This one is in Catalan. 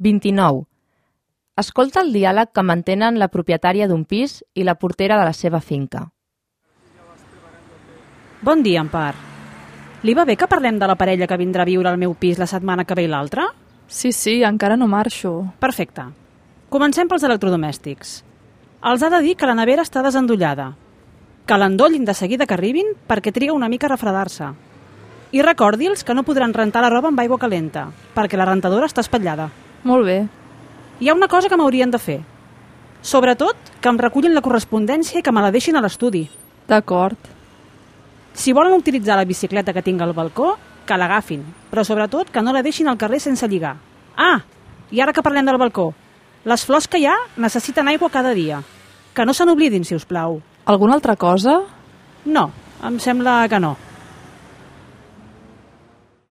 29. Escolta el diàleg que mantenen la propietària d'un pis i la portera de la seva finca. Bon dia, Empar. Li va bé que parlem de la parella que vindrà a viure al meu pis la setmana que ve i l'altra? Sí, encara no marxo. Perfecte. Comencem pels electrodomèstics. Els ha de dir que la nevera està desendollada, que l'endollin de seguida que arribin perquè triga una mica a refredar-se. I recordi'ls que no podran rentar la roba amb aigua calenta, perquè la rentadora està espatllada. Molt bé. Hi ha una cosa que m'haurien de fer. Sobretot, que em recullin la correspondència i que me la deixin a l'estudi. D'acord. Si volen utilitzar la bicicleta que tinc al balcó, que l'agafin, però sobretot que no la deixin al carrer sense lligar. Ah, i ara que parlem del balcó, les flors que hi ha necessiten aigua cada dia. Que no se n'oblidin, si us plau. Alguna altra cosa? No, em sembla que no.